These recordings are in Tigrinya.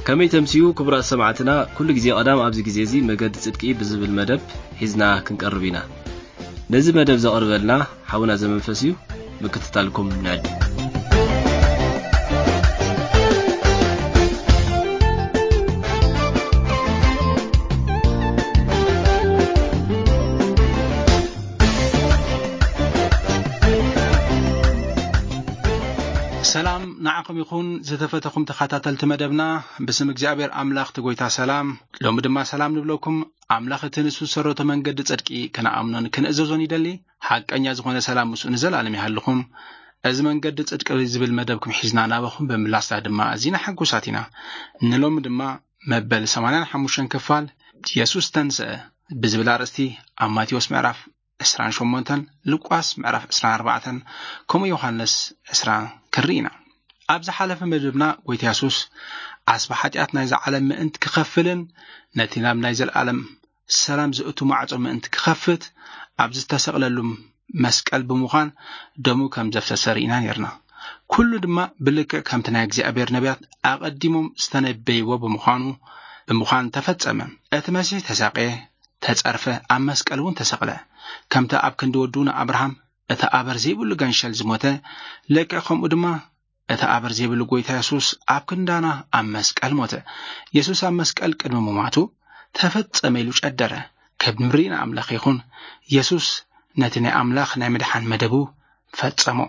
ከመይ ተምስዩ ክቡራት ሰማዕትና፣ ኩሉ ግዜ ቀዳም ኣብዚ ግዜ እዚ መገዲ ጽድቂ ብዝብል መደብ ሒዝና ክንቀርብ ኢና። ነዚ መደብ ዘቕርበልና ሓውና ዘመንፈስ እዩ። ምክትታልኩም ንዕድ። ሰላም ንዓኹም ይኹን ዝተፈተኹም ተኸታተልቲ መደብና። ብስም እግዚኣብሔር ኣምላኽ እቲ ጎይታ ሰላም፣ ሎሚ ድማ ሰላም ንብለኩም። ኣምላኽ እቲ ንሱ ዝሰረቶ መንገዲ ጽድቂ ክንኣምኖን ክንእዘዞን ይደሊ። ሓቀኛ ዝኾነ ሰላም ምስኡ ንዘላለም ይሃልኹም። እዚ መንገዲ ጽድቂ ዝብል መደብኩም ሒዝና ናባኹም ብምምላስና ድማ ኣዚና ሕጉሳት ኢና። ንሎሚ ድማ መበል ሰማንያን ሓሙሽተን ክፋል የሱስ ተንስአ ብዝብል ኣርእስቲ ኣብ ማቴዎስ ምዕራፍ ዕስራን ሸሞንተን፣ ሉቃስ ምዕራፍ ዕስራን ኣርባዕተን፣ ከምኡ ዮሃንስ ዕስራ ክንርኢ ኢና። ኣብ ዝሓለፈ መደብና ጎይታ የሱስ ኣስባ ሓጢኣት ናይዛ ዓለም ምእንቲ ክኸፍልን ነቲ ናብ ናይ ዘለኣለም ሰላም ዝእቱ ማዕጾ ምእንቲ ክኸፍት ኣብ ዝተሰቕለሉ መስቀል ብምዃን ደሙ ከም ዘፍሰሰ ርኢና ነርና። ኩሉ ድማ ብልክዕ ከምቲ ናይ እግዚኣብሔር ነቢያት ኣቐዲሞም ዝተነበይዎ ብምዃኑ፣ ብምዃን ተፈጸመ። እቲ መሲሕ ተሳቕየ፣ ተጸርፈ፣ ኣብ መስቀል እውን ተሰቕለ። ከምቲ ኣብ ክንዲ ወዱ ንኣብርሃም እቲ ኣበር ዘይብሉ ገንሸል ዝሞተ፣ ልክዕ ከምኡ ድማ እቲ ኣበር ዘይብሉ ጎይታ የሱስ ኣብ ክንዳና ኣብ መስቀል ሞተ። የሱስ ኣብ መስቀል ቅድሚ ምማቱ ተፈጸመ ኢሉ ጨደረ። ክብሪ ንኣምላኽ ይኹን። የሱስ ነቲ ናይ ኣምላኽ ናይ ምድሓን መደቡ ፈጸሞ።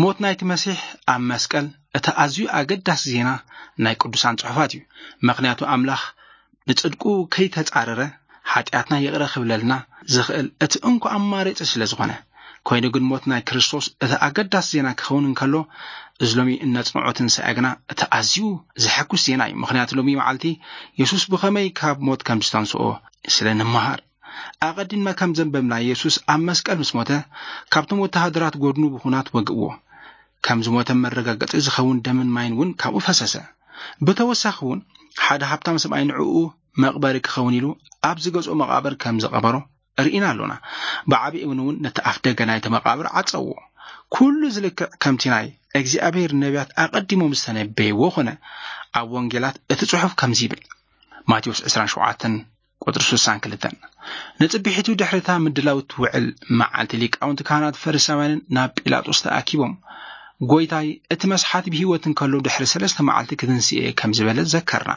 ሞት ናይቲ መሲሕ ኣብ መስቀል እቲ ኣዝዩ ኣገዳሲ ዜና ናይ ቅዱሳን ጽሑፋት እዩ። ምኽንያቱ ኣምላኽ ንጽድቁ ከይተጻረረ ሓጢኣትና ይቕረ ክብለልና ዝኽእል እቲ እንኮ ኣማራጺ ስለ ዝኾነ። ኮይኑ ግን ሞት ናይ ክርስቶስ እቲ ኣገዳሲ ዜና ክኸውን እንከሎ፣ እዚ ሎሚ እነጽንዖ ትንሳኤ ግና እቲ ኣዝዩ ዘሐጉስ ዜና እዩ። ምኽንያቱ ሎሚ መዓልቲ የሱስ ብኸመይ ካብ ሞት ከም ዝተንስኦ ስለ ንምሃር። ኣቐዲምና ከም ዘንበብና የሱስ ኣብ መስቀል ምስ ሞተ፣ ካብቶም ወተሃደራት ጎድኑ ብኹናት ወግእዎ። ከም ዝሞተ መረጋገጺ ዝኸውን ደምን ማይን እውን ካብኡ ፈሰሰ። ብተወሳኺ እውን ሓደ ሃብታም ሰብኣይ ንዕኡ መቕበሪ ክኸውን ኢሉ ኣብ ዝገዝኦ መቓብር ከም ዝቐበሮ ርኢና ኣሎና። ብዓቢ እውን እውን ነቲ ኣፍ ደገ ናይቲ መቓብር ዓጸዎ። ኩሉ ዝልክዕ ከምቲ ናይ እግዚኣብሔር ነቢያት ኣቐዲሞም ዝተነበይዎ ኾነ። ኣብ ወንጌላት እቲ ጽሑፍ ከምዚ ይብል። ማቴዎስ ዕስራን ሸውዓተን ቁጽሪ ስሳን ክልተን። ንጽቢሒቱ ድሕሪታ ምድላው ትውዕል መዓልቲ ሊቃውንቲ ካህናት ፈሪሳውያንን ናብ ጲላጦስ ተኣኪቦም፣ "ጎይታይ፣ እቲ መስሓት ብህይወት እንከሎ ድሕሪ ሰለስተ መዓልቲ ክትንስኤ" ከም ዝበለ ዘከርና።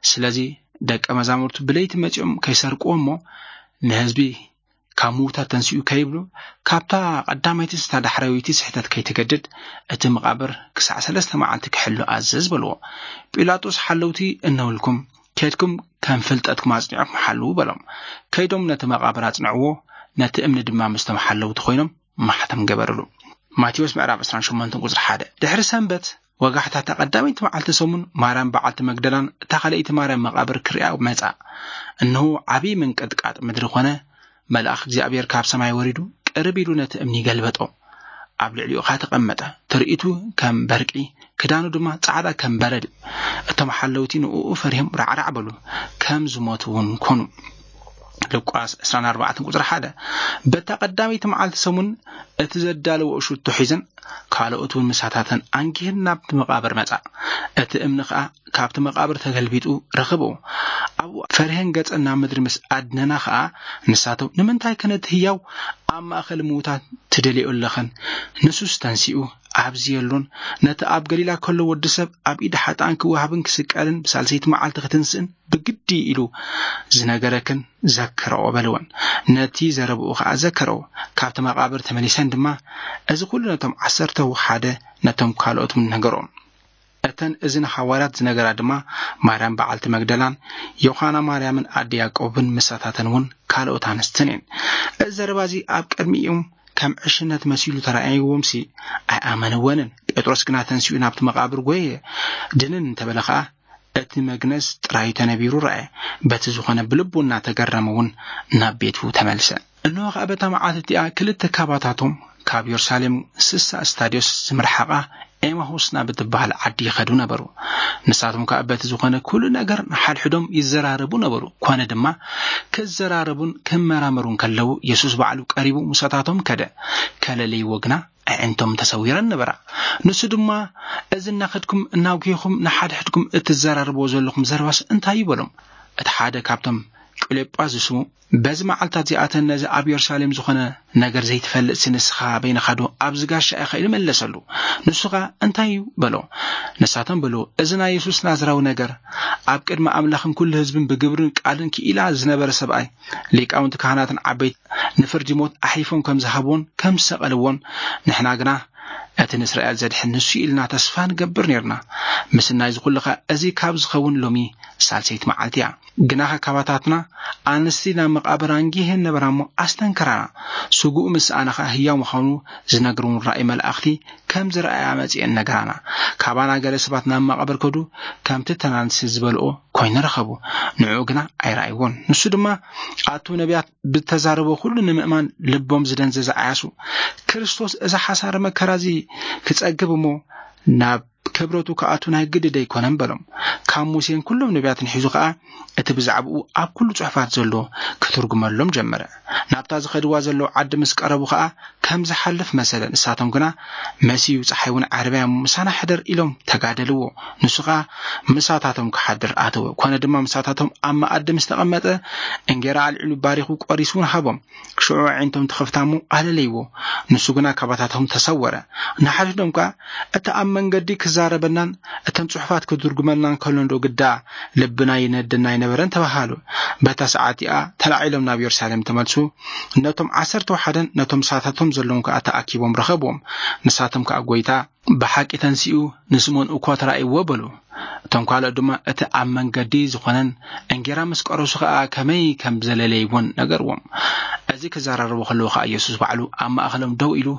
ስለዚ ደቀ መዛሙርቱ ብለይቲ መጺኦም ከይሰርቅዎ እሞ ንህዝቢ ካብ ምዉታት ተንሲኡ ከይብሉ፣ ካብታ ቀዳመይቲ ስታ ዳሕረወይቲ ስሕተት ከይትገድድ፣ እቲ መቓብር ክሳዕ ሰለስተ መዓልቲ ክሕሉ ኣዘዝ በልዎ። ጲላጦስ ሓለውቲ እነውልኩም፣ ኬድኩም ከም ፍልጠትኩም ኣጽኒዕኩም ሓልዉ በሎም። ከይዶም ነቲ መቓብር ኣጽንዕዎ፣ ነቲ እምኒ ድማ ምስቶም ሓለውቲ ኮይኖም ማሕተም ገበርሉ። ማቴዎስ ምዕራፍ ዕስራን ሸሞንተን ቁጽሪ ሓደ። ድሕሪ ሰንበት ወጋሕታ እታ ቀዳመይቲ መዓልቲ ሰሙን ማርያም በዓልቲ መግደላን እታ ካልኣይቲ ማርያም መቓብር ክሪኣ መጻ። እንሆ ዓብዪ ምንቅጥቃጥ ምድሪ ኮነ፣ መልኣኽ እግዚኣብሔር ካብ ሰማይ ወሪዱ ቅርብ ኢሉ ነቲ እምኒ ገልበጦ። ኣብ ልዕሊኡ ኸኣ ተቐመጠ። ትርኢቱ ከም በርቂ፣ ክዳኑ ድማ ጻዕዳ ከም በረድ እዩ። እቶም ሓለውቲ ንእኡ ፈሪሆም ራዕራዕ በሉ፣ ከም ዝሞቱ እውን ኮኑ። ሉቃስ ዕስራን ኣርባዕተን ቁጽሪ ሓደ። በታ ቀዳመይቲ መዓልቲ ሰሙን እቲ ዘዳለወ ሽቱ ሒዘን ካልኦት እውን ምሳታተን ኣንጊህን ናብቲ መቓብር መጻ። እቲ እምኒ ኸኣ ካብቲ መቓብር ተገልቢጡ ረኸብኦ። ኣብኡ ፈሪሀን ገጸን ናብ ምድሪ ምስ ኣድነና ኸኣ ንሳቶም፣ "ንምንታይ ከ ነቲ ህያው ኣብ ማእከል ምዉታት ትደልዮ ኣለኽን? ንሱስ ተንሲኡ ኣብዚ የሎን። ነቲ ኣብ ገሊላ ከሎ ወዲ ሰብ ኣብ ኢድ ሓጥኣን ክወሃብን ክስቀልን ብሳልሰይቲ መዓልቲ ክትንስእን ብግዲ ኢሉ ዝነገረክን ዘክረኦ" በልወን። ነቲ ዘረብኡ ኸኣ ዘከረኦ። ካብቲ መቓብር ተመሊሰን ድማ እዚ ኩሉ ነቶም ዓሰርተ ሓደ ነቶም ካልኦት እውን ነገሮም። እተን እዚ ንሃዋርያት ዝነገራ ድማ ማርያም በዓልቲ መግደላን ዮሃና ማርያምን ኣደ ያዕቆብን ምሳታተን እውን ካልኦት ኣንስትን እየን። እዚ ዘረባ እዚ ኣብ ቅድሚኦም ከም ዕሽነት መሲሉ ተራእይዎምሲ ኣይኣመንወንን። ጴጥሮስ ግና ተንሲኡ ናብቲ መቓብር ጐየ፣ ድንን እንተበለ ኸኣ እቲ መግነዝ ጥራይ ተነቢሩ ረኣየ። በቲ ዝኾነ ብልቡ እናተገረመ እውን ናብ ቤቱ ተመልሰ። እንሆ ኸኣ በታ መዓልቲ እቲኣ ክልተ ካባታቶም ካብ የሩሳሌም ስሳ ስታድዮስ ዝምርሓቓ ኤማሁስ ናብ እትበሃል ዓዲ ይኸዱ ነበሩ። ንሳቶም ከኣ በቲ ዝኾነ ኩሉ ነገር ንሓድሕዶም ይዘራረቡ ነበሩ። ኮነ ድማ ክዘራረቡን ክመራመሩን ከለዉ የሱስ ባዕሉ ቀሪቡ ምሳታቶም ከደ። ከለለይዎ ግና ኣዒንቶም ተሰዊረን ነበራ። ንሱ ድማ፣ "እዚ እናኸድኩም እናጉሂኹም ንሓድሕድኩም እትዘራረብዎ ዘለኹም ዘረባስ እንታይ እዩ?" በሎም። እቲ ሓደ ካብቶም፣ ቅሌጳስ ዝስሙ፣ "በዚ መዓልታት እዚኣተን ነዚ ኣብ የሩሳሌም ዝኾነ ነገር ዘይትፈልጥሲ ንስኻ በይንኻ ዶ ኣብዚ ጋሻ ኢኻ?" ኢሉ መለሰሉ። ንሱ ኸኣ፣ "እንታይ እዩ?" በሎ። ንሳቶም በሉ፣ "እዚ ናይ የሱስ ናዝራዊ ነገር ኣብ ቅድሚ ኣምላኽን ኩሉ ህዝብን ብግብርን ቃልን ክኢላ ዝነበረ ሰብኣይ፣ ሊቃውንቲ ካህናትን ዓበይቲ ንፍርዲ ሞት ኣሕሊፎም ከም ዝሃብዎን ከም ዝሰቐልዎን፣ ንሕና ግና እቲ ንእስራኤል ዘድሕን ንሱ እዩ ኢልና ተስፋ ንገብር ኔርና። ምስናይ እዚ ኩሉ ኸኣ እዚ ካብ ዝኸውን ሎሚ ሳልሰይቲ መዓልቲ እያ። ግናኸ ካባታትና ኣንስቲ ናብ መቓብር ኣንጊሀን ነበራ እሞ ኣስተንከራና። ስግኡ ምስ ሰኣነ ኸኣ ህያው ምዃኑ ዝነግር እውን ራእይ መላእኽቲ ከም ዝረኣያ መጺኤን ነገራና። ካባና ገለ ሰባት ናብ መቓብር ከዱ ከምቲ ተናንሲ ዝበልኦ ኮይኑ ረኸቡ። ንዕኡ ግና ኣይረኣይዎን። ንሱ ድማ ኣቱ ነቢያት ብተዛረቦ ኩሉ ንምእማን ልቦም ዝደንዘዘ ዓያሱ። ክርስቶስ እዚ ሓሳረ መከራ እዚ ክጸግብ እሞ ናብ ክብረቱ ክኣቱ ናይ ግዲ ደይኮነን በሎም። ካብ ሙሴን ኩሎም ነቢያትን ሒዙ ኸኣ እቲ ብዛዕባኡ ኣብ ኩሉ ጽሑፋት ዘሎ ክትርጉመሎም ጀመረ። ናብታ ዝኸድዋ ዘለዉ ዓዲ ምስ ቀረቡ ኸኣ ከም ዝሓልፍ መሰለ። ንሳቶም ግና፣ "መሲዩ፣ ጸሓይ እውን ዓርብያ እሞ ምሳና ሕደር" ኢሎም ተጋደልዎ። ንሱ ኸኣ ምሳታቶም ክሓድር ኣተወ። ኮነ ድማ ምሳታቶም ኣብ መኣዲ ምስ ተቐመጠ፣ እንጌራ ኣልዒሉ ባሪኹ ቆሪሱ እውን ሃቦም። ሽዑ ኣዒንቶም ተኸፍታ እሞ ኣለለይዎ። ንሱ ግና ካባታቶም ተሰወረ። ንሓድሕዶም ከኣ፣ "እቲ ኣብ መንገዲ ክዛረበናን እተን ጽሑፋት ክትርጉመልናን ከሎ እንዶ ግዳ ልብና ይነደና ኣይነበረን?" ተባሃሉ። በታ ሰዓት እቲኣ ተላዒሎም ናብ የሩሳሌም ተመልሱ። ነቶም ዓሰርተ ወሓደን ነቶም ምሳታቶም ዘለዎም ከኣ ተኣኪቦም ረኸብዎም። ንሳቶም ከኣ፣ "ጐይታ ብሓቂ ተንሲኡ ንስምኦን እኳ ተራእይዎ" በሉ። እቶም ካልኦት ድማ እቲ ኣብ መንገዲ ዝኾነን እንጌራ ምስ ቀረሱ ኸኣ ከመይ ከም ዘለለይዎን ነገርዎም። እዚ ክዘራረቡ ከለዉ ኸኣ የሱስ ባዕሉ ኣብ ማእከሎም ደው ኢሉ፣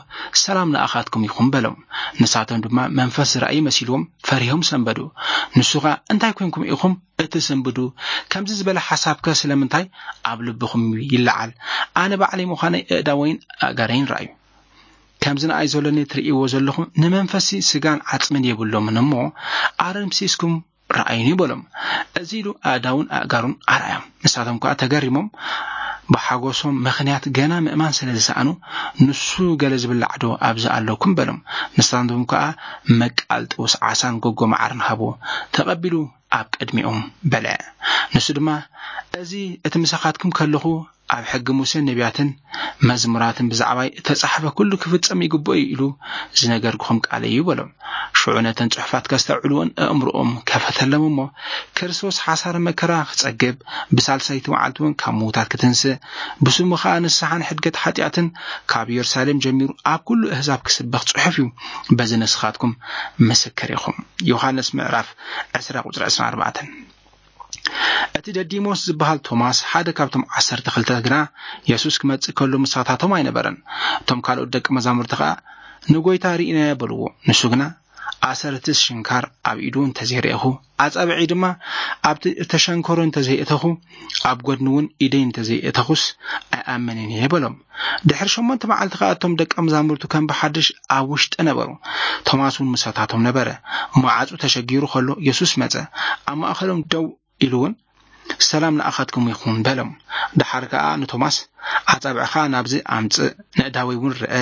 "ሰላም ንኣኻትኩም ይኹን" በሎም። ንሳቶም ድማ መንፈስ ዝረኣዩ መሲልዎም ፈሪሆም ሰንበዱ። ንሱ ኸኣ፣ "እንታይ ኮንኩም ኢኹም እትስንብዱ? ከምዚ ዝበለ ሓሳብከ ስለምንታይ ኣብ ልብኹም ይለዓል? ኣነ ባዕለይ ምዃነይ ኣእዳወይን ኣእጋረይን ረኣዩ። ከምዚ ንኣይ ዘሎኒ ትርእይዎ ዘለኹም ንመንፈሲ ስጋን ዓጽምን የብሎምን እሞ ኣረምሲስኩም ረኣዩኒ" በሎም። እዚ ኢሉ ኣእዳውን ኣእጋሩን ኣርኣዮም። ንሳቶም ከኣ ተገሪሞም ብሓጎሶም ምኽንያት ገና ምእማን ስለ ዝሰኣኑ፣ "ንሱ ገለ ዝብላዕ ዶ ኣብዚ ኣለኩም?" በሎም። ንሳቶም ከኣ መቃል ጥውስ ዓሳን ጎጎ መዓርን ሃብዎ። ተቐቢሉ ኣብ ቅድሚኦም በልዐ። ንሱ ድማ፣ "እዚ እቲ ምሳኻትኩም ከለኹ ኣብ ሕጊ ሙሴን ነቢያትን መዝሙራትን ብዛዕባይ እተጻሕፈ ኩሉ ክፍጸም ይግብኦ እዩ ኢሉ ዝነገርኩኹም ቃለይ እዩ" በሎም። ሽዑ ነተን ጽሑፋት ከስተውዕልዎን ኣእምሮኦም ከፈተሎም እሞ፣ ክርስቶስ ሓሳረ መከራ ክጸግብ፣ ብሳልሳይቲ መዓልቲ እውን ካብ ምዉታት ክትንስእ፣ ብስሙ ኸኣ ንስሓን ሕድገት ሓጢኣትን ካብ የሩሳሌም ጀሚሩ ኣብ ኩሉ ኣህዛብ ክስበኽ ጽሑፍ እዩ። በዚ ንስኻትኩም ምስክር ኢኹም። ዮሃንስ ምዕራፍ ዕስራ ቁጽሪ ዕስራን ኣርባዕተን። እቲ ደዲሞስ ዝበሃል ቶማስ፣ ሓደ ካብቶም ዓሰርተ ክልተ ግና፣ የሱስ ክመጽእ ከሎ ምሳታቶም ኣይነበረን። እቶም ካልኦት ደቂ መዛሙርቲ ኸኣ፣ "ንጐይታ ርኢናዮ" በልዎ። ንሱ ግና፣ "ኣሰር እቲ ሽንካር ኣብ ኢዱ እንተዘይረኤኹ፣ ኣጻብዐይ ድማ ኣብቲ እተሸንከሮ እንተዘይእተኹ፣ ኣብ ጐድኒ እውን ኢደይ እንተዘይእተኹስ ኣይኣምንን እየ" በሎም። ድሕሪ ሸሞንተ መዓልቲ ኸኣ እቶም ደቀ መዛሙርቱ ከም ብሓድሽ ኣብ ውሽጢ ነበሩ። ቶማስ እውን ምሳታቶም ነበረ። መዓጹ ተሸጊሩ ኸሎ የሱስ መጸ። ኣብ ማእከሎም ደው ኢሉ እውን፣ "ሰላም ንኣኻትኩም ይኹን" በሎም። ደሓር ከኣ ንቶማስ፣ "ኣጻብዕኻ ናብዚ ኣምጽእ፣ ነእዳወይ እውን ርአ፣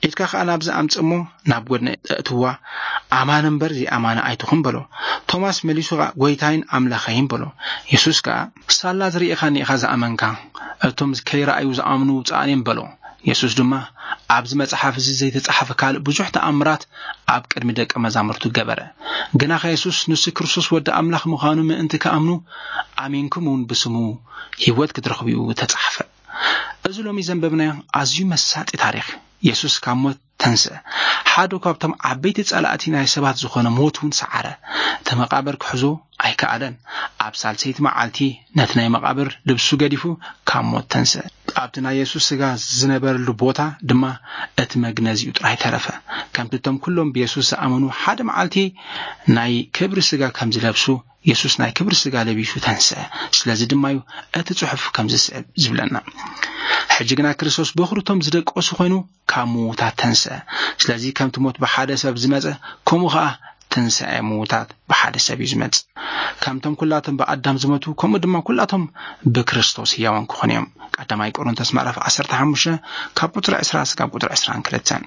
ኢድካ ከኣ ናብዚ ኣምጽእ እሞ ናብ ጐድነይ እእትዋ፣ ኣማኒ እምበር ዘይኣማኒ ኣይትኹን" በሎ። ቶማስ መሊሱ ኸኣ፣ "ጐይታይን ኣምላኸይን" በሎ። የሱስ ከኣ፣ "ሳላ ዝርኢኻኒ ኢኻ ዝኣመንካ፣ እቶም ከይረኣዩ ዝኣምኑ ብፁዓን እዮም" በሎ። የሱስ ድማ፣ "ኣብዚ መጽሓፍ እዚ ዘይተጻሕፈ ካልእ ብዙሕ ተኣምራት ኣብ ቅድሚ ደቀ መዛሙርቱ ገበረ። ግናኸ የሱስ ንሱ ክርስቶስ ወዲ ኣምላኽ ምዃኑ ምእንቲ ክኣምኑ፣ ኣሚንኩም እውን ብስሙ ህይወት ክትረኽቡ እዩ ተጻሕፈ።" እዚ ሎሚ ዘንበብናዮ ኣዝዩ መሳጢ ታሪኽ፣ የሱስ ካብ ሞት ተንስአ። ሓደ ካብቶም ዓበይቲ ጸላእቲ ናይ ሰባት ዝኾነ ሞት እውን ሰዓረ። እቲ መቓብር ክሕዞ ኣይከኣለን። ኣብ ሳልሰይቲ መዓልቲ ነቲ ናይ መቓብር ልብሱ ገዲፉ ካብ ሞት ተንስአ። ኣብቲ ናይ የሱስ ስጋ ዝነበረሉ ቦታ ድማ እቲ መግነዚኡ ጥራይ ተረፈ። ከምቲ እቶም ኩሎም ብየሱስ ዝኣመኑ ሓደ መዓልቲ ናይ ክብሪ ስጋ ከም ዝለብሱ፣ የሱስ ናይ ክብሪ ስጋ ለቢሱ ተንስአ። ስለዚ ድማ እዩ እቲ ጽሑፍ ከም ዝስዕብ ዝብለና። ሕጂ ግና ክርስቶስ በኹሪ እቶም ዝደቀሱ ኮይኑ ካብ ምዉታት ተንስአ። ስለዚ ከምቲ ሞት ብሓደ ሰብ ዝመጸ፣ ከምኡ ኸኣ ትንሳኤ ምዉታት ብሓደ ሰብ እዩ ዝመጽእ። ከምቶም ኩላቶም ብኣዳም ዝመቱ፣ ከምኡ ድማ ኩላቶም ብክርስቶስ ህያዋን ክኾኑ እዮም። ቀዳማይ ቆሮንቶስ ምዕራፍ ዓሰርተ ሓሙሽተ ካብ ቁጽሪ ዕስራ እስካብ ቁጽሪ ዕስራን ክልተን።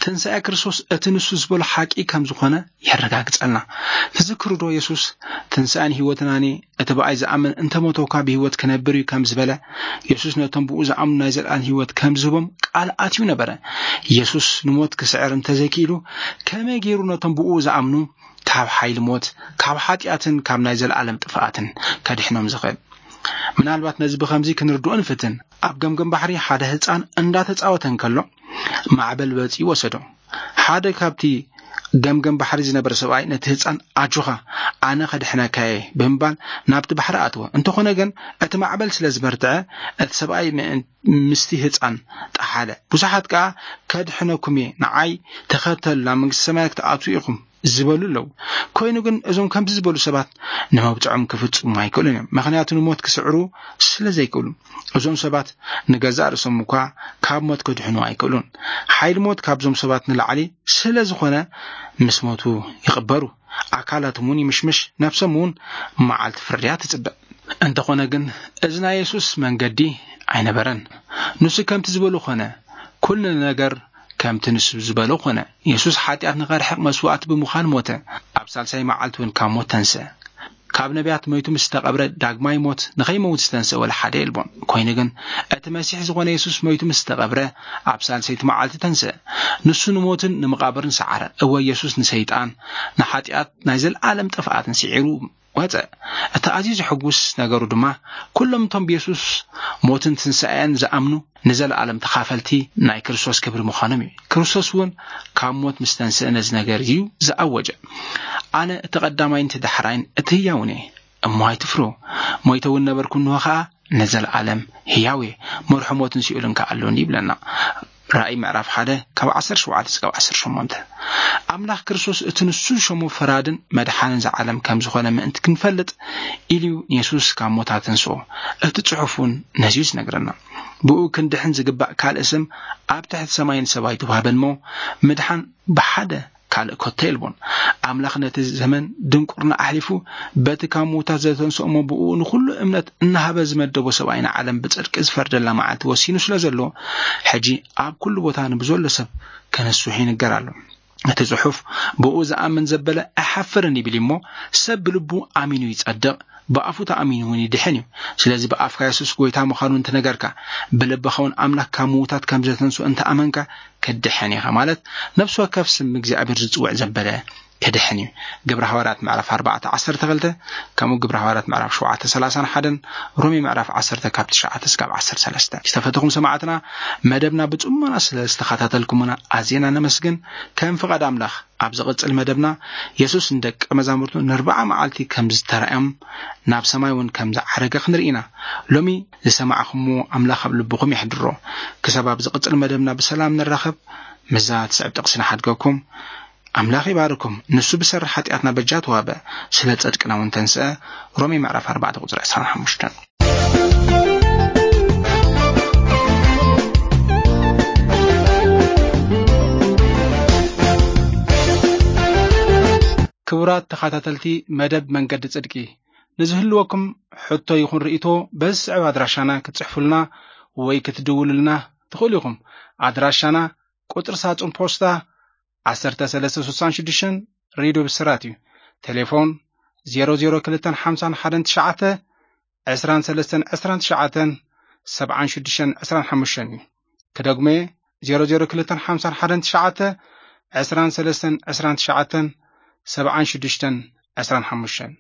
ትንሳኤ ክርስቶስ እቲ ንሱ ዝበሎ ሓቂ ከም ዝኾነ የረጋግጸልና። ትዝክሩ ዶ? የሱስ፣ "ትንሳኤን ህይወትን ኣነ፣ እቲ ብኣይ ዝኣምን እንተሞተ እኳ ብህይወት ክነብር እዩ" ከም ዝበለ፣ የሱስ ነቶም ብኡ ዝኣምኑ ናይ ዘለኣለም ህይወት ከም ዝህቦም ቃል ኣትዩ ነበረ። የሱስ ንሞት ክስዕር እንተዘይክኢሉ፣ ከመይ ገይሩ ነቶም ብኡ ዝኣምኑ ካብ ሓይሊ ሞት፣ ካብ ሓጢኣትን ካብ ናይ ዘለኣለም ጥፍኣትን ከድሕኖም ዝኽእል? ምናልባት ነዚ ብኸምዚ ክንርድኦ ንፍትን። ኣብ ገምገም ባሕሪ ሓደ ህጻን እንዳተጻወተ እንከሎ፣ ማዕበል በጺኡ ወሰዶ። ሓደ ካብቲ ገምገም ባሕሪ ዝነበረ ሰብኣይ ነቲ ህጻን፣ "ኣጆኻ፣ ኣነ ከድሕነካ እየ" ብምባል ናብቲ ባሕሪ ኣትዎ። እንተኾነ ግን፣ እቲ ማዕበል ስለ ዝበርትዐ፣ እቲ ሰብኣይ ምእን-፣ ምስቲ ህጻን ጠሓለ። ብዙሓት ከኣ፣ "ከድሕነኩም እየ፣ ንዓይ ተኸተሉ፣ ናብ መንግስቲ ሰማያት ክትኣትዉ ኢኹም" ዝበሉ ኣለዉ። ኮይኑ ግን፣ እዞም ከምዚ ዝበሉ ሰባት ንመብጽዖም ክፍጽሙ ኣይክእሉን እዮም። ምኽንያቱ፣ ንሞት ክስዕሩ ስለ ዘይክእሉ። እዞም ሰባት ንገዛእ ርእሶም እኳ ካብ ሞት ክድሕኑ ኣይክእሉን። ሓይሊ ሞት ካብዞም ሰባት ንላዕሊ ስለ ዝኾነ፣ ምስ ሞቱ ይቕበሩ። ኣካላቶም እውን ይምሽምሽ፣ ነፍሶም እውን መዓልቲ ፍርድያ ትጽበ። እንተኾነ ግን፣ እዚ ናይ የሱስ መንገዲ ኣይነበረን። ንሱ ከምቲ ዝበሎ ኾነ፣ ኩሉ ነገር ከምቲ ንሱ ዝበሎ ኾነ። የሱስ ሓጢኣት ንኸርሕቕ መስዋእቲ ብምዃን ሞተ። ኣብ ሳልሳይ መዓልቲ እውን ካብ ሞት ተንስአ። ካብ ነቢያት ሞይቱ ምስ ተቐብረ፣ ዳግማይ ሞት ንኸይመውት ዝተንስአ ወላ ሓደ የልቦን። ኮይኑ ግን፣ እቲ መሲሕ ዝኾነ የሱስ ሞይቱ ምስ ተቐብረ፣ ኣብ ሳልሰይቲ መዓልቲ ተንስአ። ንሱ ንሞትን ንመቓብርን ሰዓረ። እወ፣ የሱስ ንሰይጣን፣ ንሓጢኣት፣ ናይ ዘለኣለም ጥፍኣትን ስዒሩ ወጸ። እቲ ኣዝዩ ዘሐጉስ ነገሩ ድማ፣ ኩሎም እቶም ብየሱስ ሞትን ትንሳኤን ዝኣምኑ ንዘለኣለም ተኻፈልቲ ናይ ክርስቶስ ክብሪ ምዃኖም እዩ። ክርስቶስ እውን ካብ ሞት ምስ ተንስአ ነዚ ነገር እዩ ዝኣወጀ። "ኣነ እቲ ቀዳማይን እቲ ዳሕራይን እቲ ህያውን እየ፣ እሞ ኣይትፍርሁ። ሞይተ እውን ነበርኩ፣ እንሆ ኸኣ ንዘለኣለም ህያው እየ። መርሖ ሞትን ሲኦልን ከኣ ኣሎኒ" ይብለና። ራእይ ምዕራፍ ሓደ ካብ ዓሰርተ ሸውዓተ እስካብ ዓሰርተ ሸሞንተ። ኣምላኽ ክርስቶስ እቲ ንሱ ዝሸሞ ፈራድን መድሓንን ዝዓለም ከም ዝኾነ ምእንቲ ክንፈልጥ ኢሉ እዩ ንየሱስ ካብ ሞት ኣተንስኦ። እቲ ጽሑፍ እውን ነዚ እዩ ዝነግረና። ብኡ ክንድሕን ዝግባእ ካልእ ስም ኣብ ትሕቲ ሰማይ ንሰብ ኣይተዋህበን እሞ፣ ምድሓን ብሓደ ካልእ ኮቶ የልቦን። ኣምላኽ ነቲ ዘመን ድንቁርና ኣሕሊፉ፣ በቲ ካብ ምዉታት ዘተንስኦ እሞ ብኡ ንኹሉ እምነት እናሃበ ዝመደቦ ሰብኣይ ንዓለም ብጽድቂ ዝፈርደላ መዓልቲ ወሲኑ ስለ ዘሎ፣ ሕጂ ኣብ ኩሉ ቦታ ንብዘሎ ሰብ ከነስሑ ይንገር ኣሎ። እቲ ጽሑፍ፣ "ብኡ ዝኣምን ዘበለ ኣይሓፍርን" ይብል እሞ፣ ሰብ ብልቡ ኣሚኑ ይጸድቕ፣ ብኣፉ ተኣሚኑ እውን ይድሕን እዩ። ስለዚ ብኣፍካ የሱስ ጎይታ ምዃኑ እንትነገርካ፣ ብልብኻ እውን ኣምላኽ ካብ ምዉታት ከም ዘተንስኦ እንተኣመንካ፣ ክድሕን ኢኻ። ማለት፣ ነፍሲ ወከፍ ስም እግዚኣብሔር ዝጽውዕ ዘበለ ክድሕን እዩ። ግብረ ሃዋርያት ምዕራፍ ኣርባዕተ ዓሰርተ ክልተ፣ ከምኡ ግብረ ሃዋርያት ምዕራፍ ሸውዓተ ሰላሳን ሓደን፣ ሮሜ ምዕራፍ ዓሰርተ ካብ ትሽዓተ እስካብ ዓሰርተ ሰለስተ። ዝተፈተኹም ሰማዕትና፣ መደብና ብጽሞና ስለ ዝተኸታተልኩምና ኣዝና ነመስግን። ከም ፍቓድ ኣምላኽ፣ ኣብ ዝቕጽል መደብና፣ የሱስ ንደቀ መዛሙርቱ ንኣርብዓ መዓልቲ ከም ዝተራእዮም፣ ናብ ሰማይ እውን ከም ዝዓረገ ክንርኢ ኢና። ሎሚ ዝሰማዕኹምዎ ኣምላኽ ኣብ ልብኹም የሕድሮ። ክሳብ ኣብ ዝቕጽል መደብና ብሰላም ንራኸብ፣ ምስዛ ትስዕብ ጥቕሲ ንሓድገኩም። ኣምላኽ ይባርኩም። ንሱ ብሰሪ ሓጢኣትና በጃ ተዋህበ፣ ስለ ጽድቅና እውን ተንስአ። ሮሜ ምዕራፍ ኣርባዕተ ቁጽሪ ዕስራን ሓሙሽተን። ክቡራት ተኸታተልቲ መደብ መንገዲ ጽድቂ፣ ንዝህልወኩም ሕቶ ይኹን ርእይቶ በዚ ዝስዕብ ኣድራሻና ክትጽሕፉልና ወይ ክትድውሉልና ትኽእሉ ኢኹም። ኣድራሻና ቁጽሪ ሳጹን ፖስታ ዓሰርተ ሰለስተ ስሳን ሽዱሽተን፣ ሬድዮ ብስራት እዩ። ቴሌፎን ዜሮ ዜሮ ክልተን ሓምሳን ሓደን ትሽዓተ፣ ዕስራን ሰለስተን ዕስራን ትሽዓተን፣ ሰብዓን ሽዱሽተን ዕስራን ሓሙሽተን እዩ። ክደግሞ እየ፣ ዜሮ ዜሮ ክልተን ሓምሳን ሓደን ትሽዓተ፣ ዕስራን ሰለስተን ዕስራን ትሽዓተን፣ ሰብዓን ሽዱሽተን ዕስራን ሓሙሽተን።